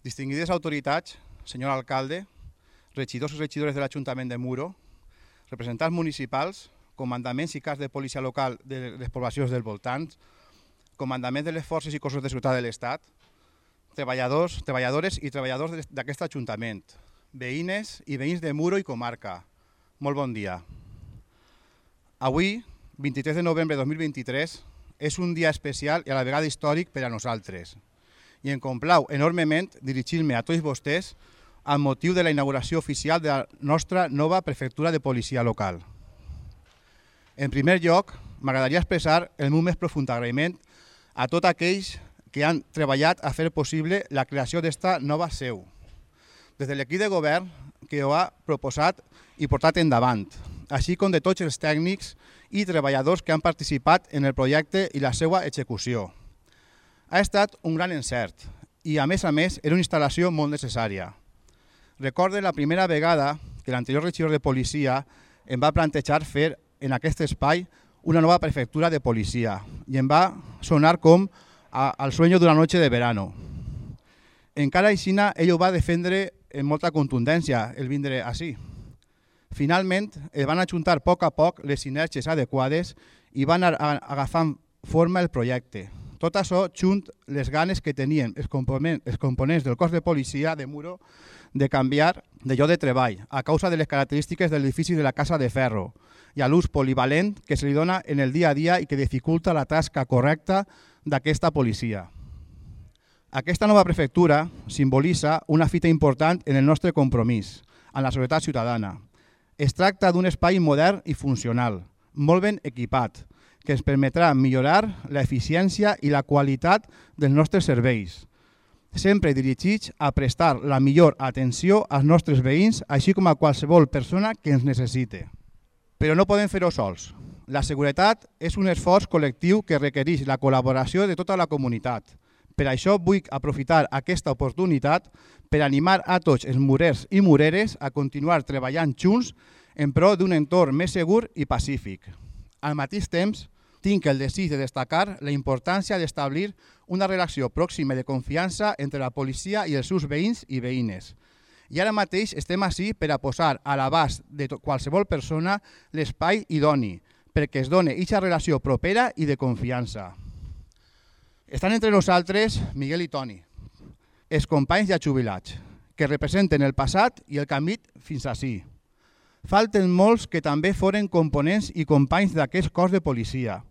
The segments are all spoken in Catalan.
Distinguides autoritats, senyor alcalde, regidors i regidores de l'Ajuntament de Muro, representants municipals, comandaments i caps de policia local de les poblacions del voltant, comandaments de les forces i cossos de seguretat de l'Estat, treballadors, treballadores i treballadors d'aquest Ajuntament, veïnes i veïns de Muro i comarca. Molt bon dia. Avui, 23 de novembre de 2023, és un dia especial i a la vegada històric per a nosaltres. I em complau enormement dirigir-me a tots vostès amb motiu de la inauguració oficial de la nostra nova prefectura de policia local. En primer lloc, m'agradaria expressar el meu més profund agraïment a tots aquells que han treballat a fer possible la creació d'esta nova seu, des de l'equip de govern que ho ha proposat i portat endavant, així com de tots els tècnics i treballadors que han participat en el projecte i la seva execució. Ha estat un gran encert i, a més, era una instal·lació molt necessària. Recorde la primera vegada que l'anterior regidor de policia em va plantejar fer en aquest espai una nova prefectura de policia i em va sonar com al sueño d'una noche de verano. Encara així, ell ho va defendre amb molta contundència, el vindre així. Finalment, es van ajuntar a poc les sinergies adequades i van anar agafant forma el projecte. Tot això junt les ganes que tenien els components del cos de policia de Muro de canviar de lloc de treball a causa de les característiques de l'edifici de la Casa de Ferro i a l'ús polivalent que se li dona en el dia a dia i que dificulta la tasca correcta d'aquesta policia. Aquesta nova prefectura simbolitza una fita important en el nostre compromís amb la seguretat ciutadana. Es tracta d'un espai modern i funcional, molt ben equipat, que ens permetrà millorar l'eficiència i la qualitat dels nostres serveis, sempre dirigits a prestar la millor atenció als nostres veïns, així com a qualsevol persona que ens necessite. Però no podem fer-ho sols. La seguretat és un esforç col·lectiu que requereix la col·laboració de tota la comunitat. Per això vull aprofitar aquesta oportunitat per animar a tots els murers i mureres a continuar treballant junts en pro d'un entorn més segur i pacífic. Al mateix temps, tinc el desig de destacar la importància d'establir una relació pròxima de confiança entre la policia i els seus veïns i veïnes. I ara mateix estem ací per a posar a l'abast de qualsevol persona l'espai idoni, perquè es doni aquesta relació propera i de confiança. Estan entre nosaltres Miguel i Toni, els companys ja jubilats, que representen el passat i el camí fins ací. Falten molts que també foren components i companys d'aquest cos de policia.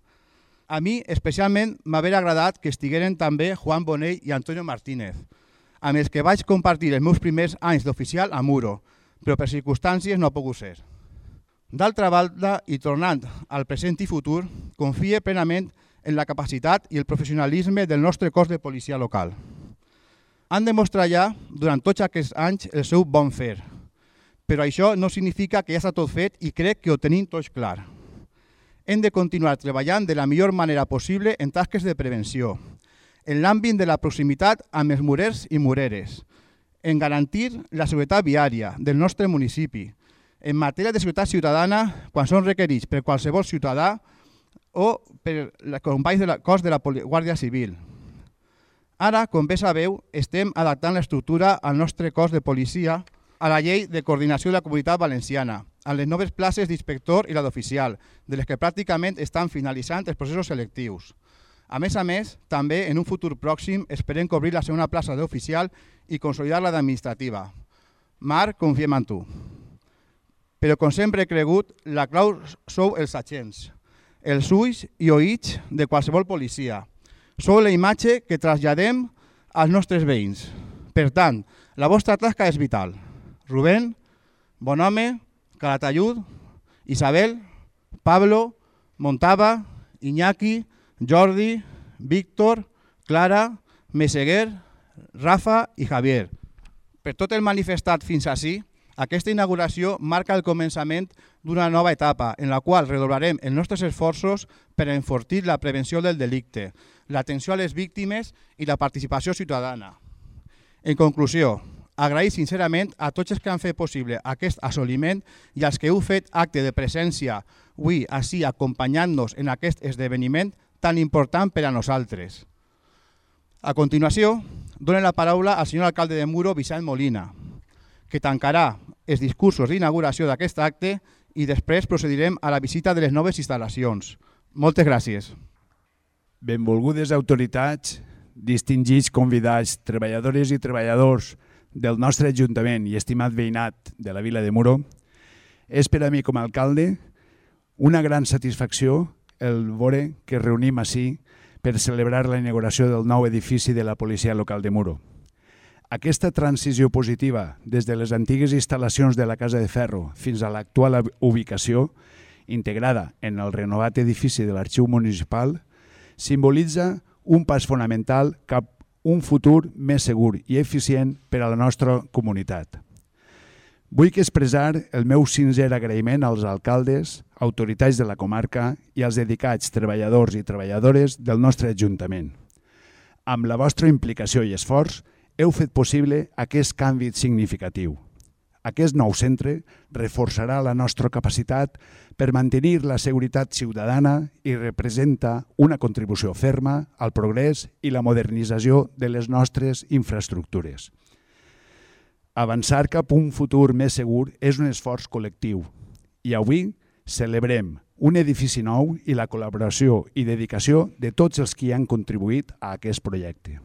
A mi especialment m'haver agradat que estigueren també Juan Bonell i Antonio Martínez, amb els que vaig compartir els meus primers anys d'oficial a Muro, però per circumstàncies no ha pogut ser. D'altra banda, i tornant al present i futur, confie plenament en la capacitat i el professionalisme del nostre cos de policia local. Han demostrat ja, durant tots aquests anys, el seu bon fer, però això no significa que ja està tot fet i crec que ho tenim tots clar. Hem de continuar treballant de la millor manera possible en tasques de prevenció, en l'àmbit de la proximitat amb els murers i mureres, en garantir la seguretat viària del nostre municipi, en matèria de seguretat ciutadana quan són requerits per qualsevol ciutadà o per els companys del cos de la Guàrdia Civil. Ara, com bé sabeu, estem adaptant l'estructura al nostre cos de policia a la llei de coordinació de la Comunitat Valenciana, amb les noves places d'inspector i la d'oficial, de les que pràcticament estan finalitzant els processos selectius. A més, també en un futur pròxim esperem cobrir la segona plaça d'oficial i consolidar la d'administrativa. Marc, confiem en tu. Però com sempre he cregut, la clau sou els agents, els ulls i oïts de qualsevol policia. Sou la imatge que traslladem als nostres veïns. Per tant, la vostra tasca és vital. Rubén, Bonhome, Calatayud, Isabel, Pablo, Montava, Iñaki, Jordi, Víctor, Clara, Meseguer, Rafa i Javier. Per tot el manifestat fins ací, aquesta inauguració marca el començament d'una nova etapa en la qual redoblarem els nostres esforços per enfortir la prevenció del delicte, l'atenció a les víctimes i la participació ciutadana. En conclusió, agrair sincerament a tots els que han fet possible aquest assoliment i als que heu fet acte de presència avui ací acompanyant-nos en aquest esdeveniment tan important per a nosaltres. A continuació, dono la paraula al senyor alcalde de Muro, Vicent Molina, que tancarà els discursos d'inauguració d'aquest acte i després procedirem a la visita de les noves instal·lacions. Moltes gràcies. Benvolgudes autoritats, distingits convidats, treballadores i treballadors del nostre Ajuntament i estimat veïnat de la vila de Muro, és per a mi com a alcalde una gran satisfacció el veure que reunim ací per celebrar la inauguració del nou edifici de la policia local de Muro. Aquesta transició positiva des de les antigues instal·lacions de la Casa de Ferro fins a l'actual ubicació, integrada en el renovat edifici de l'Arxiu Municipal, simbolitza un pas fonamental cap a un futur més segur i eficient per a la nostra comunitat. Vull expressar el meu sincer agraïment als alcaldes, autoritats de la comarca i als dedicats treballadors i treballadores del nostre Ajuntament. Amb la vostra implicació i esforç, heu fet possible aquest canvi significatiu. Aquest nou centre reforçarà la nostra capacitat per mantenir la seguretat ciutadana i representa una contribució ferma al progrés i la modernització de les nostres infraestructures. Avançar cap a un futur més segur és un esforç col·lectiu i avui celebrem un edifici nou i la col·laboració i dedicació de tots els que hi han contribuït a aquest projecte.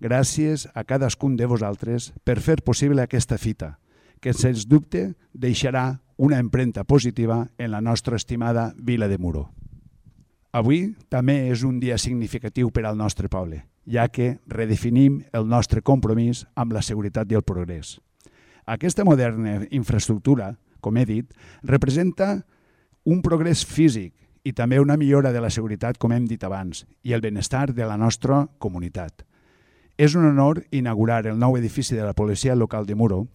Gràcies a cadascun de vosaltres per fer possible aquesta fita, que sens dubte deixarà una empremta positiva en la nostra estimada vila de Muro. Avui també és un dia significatiu per al nostre poble, ja que redefinim el nostre compromís amb la seguretat i el progrés. Aquesta moderna infraestructura, com he dit, representa un progrés físic i també una millora de la seguretat, com hem dit abans, i el benestar de la nostra comunitat. És un honor inaugurar el nou edifici de la policia local de Muro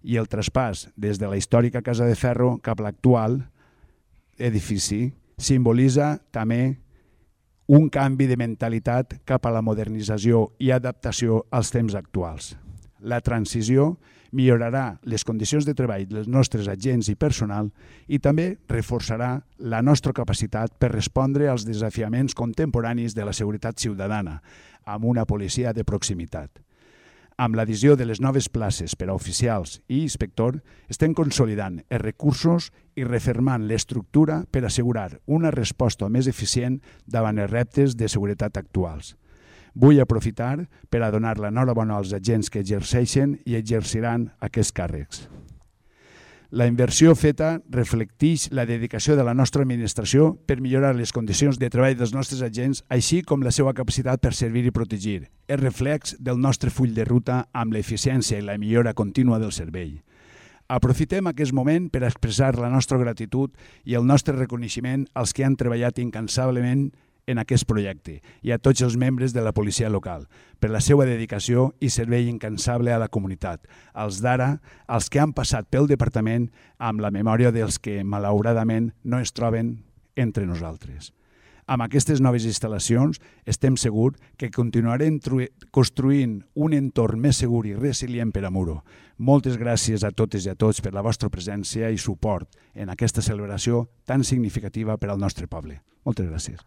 i el traspàs des de la històrica Casa de Ferro cap a l'actual edifici simbolitza també un canvi de mentalitat cap a la modernització i adaptació als temps actuals. La transició millorarà les condicions de treball dels nostres agents i personal i també reforçarà la nostra capacitat per respondre als desafiaments contemporanis de la seguretat ciutadana amb una policia de proximitat. Amb l'addició de les noves places per a oficials i inspector, estem consolidant els recursos i refermant l'estructura per assegurar una resposta més eficient davant els reptes de seguretat actuals. Vull aprofitar per a donar l'enhorabona als agents que exerceixen i exerciran aquests càrrecs. La inversió feta reflecteix la dedicació de la nostra administració per millorar les condicions de treball dels nostres agents, així com la seva capacitat per servir i protegir. És reflex del nostre full de ruta amb l'eficiència i la millora contínua del servei. Aprofitem aquest moment per expressar la nostra gratitud i el nostre reconeixement als que han treballat incansablement en aquest projecte i a tots els membres de la policia local per la seva dedicació i servei incansable a la comunitat, als d'ara, als que han passat pel departament amb la memòria dels que malauradament no es troben entre nosaltres. Amb aquestes noves instal·lacions estem segurs que continuarem construint un entorn més segur i resilient per a Muro. Moltes gràcies a totes i a tots per la vostra presència i suport en aquesta celebració tan significativa per al nostre poble. Moltes gràcies.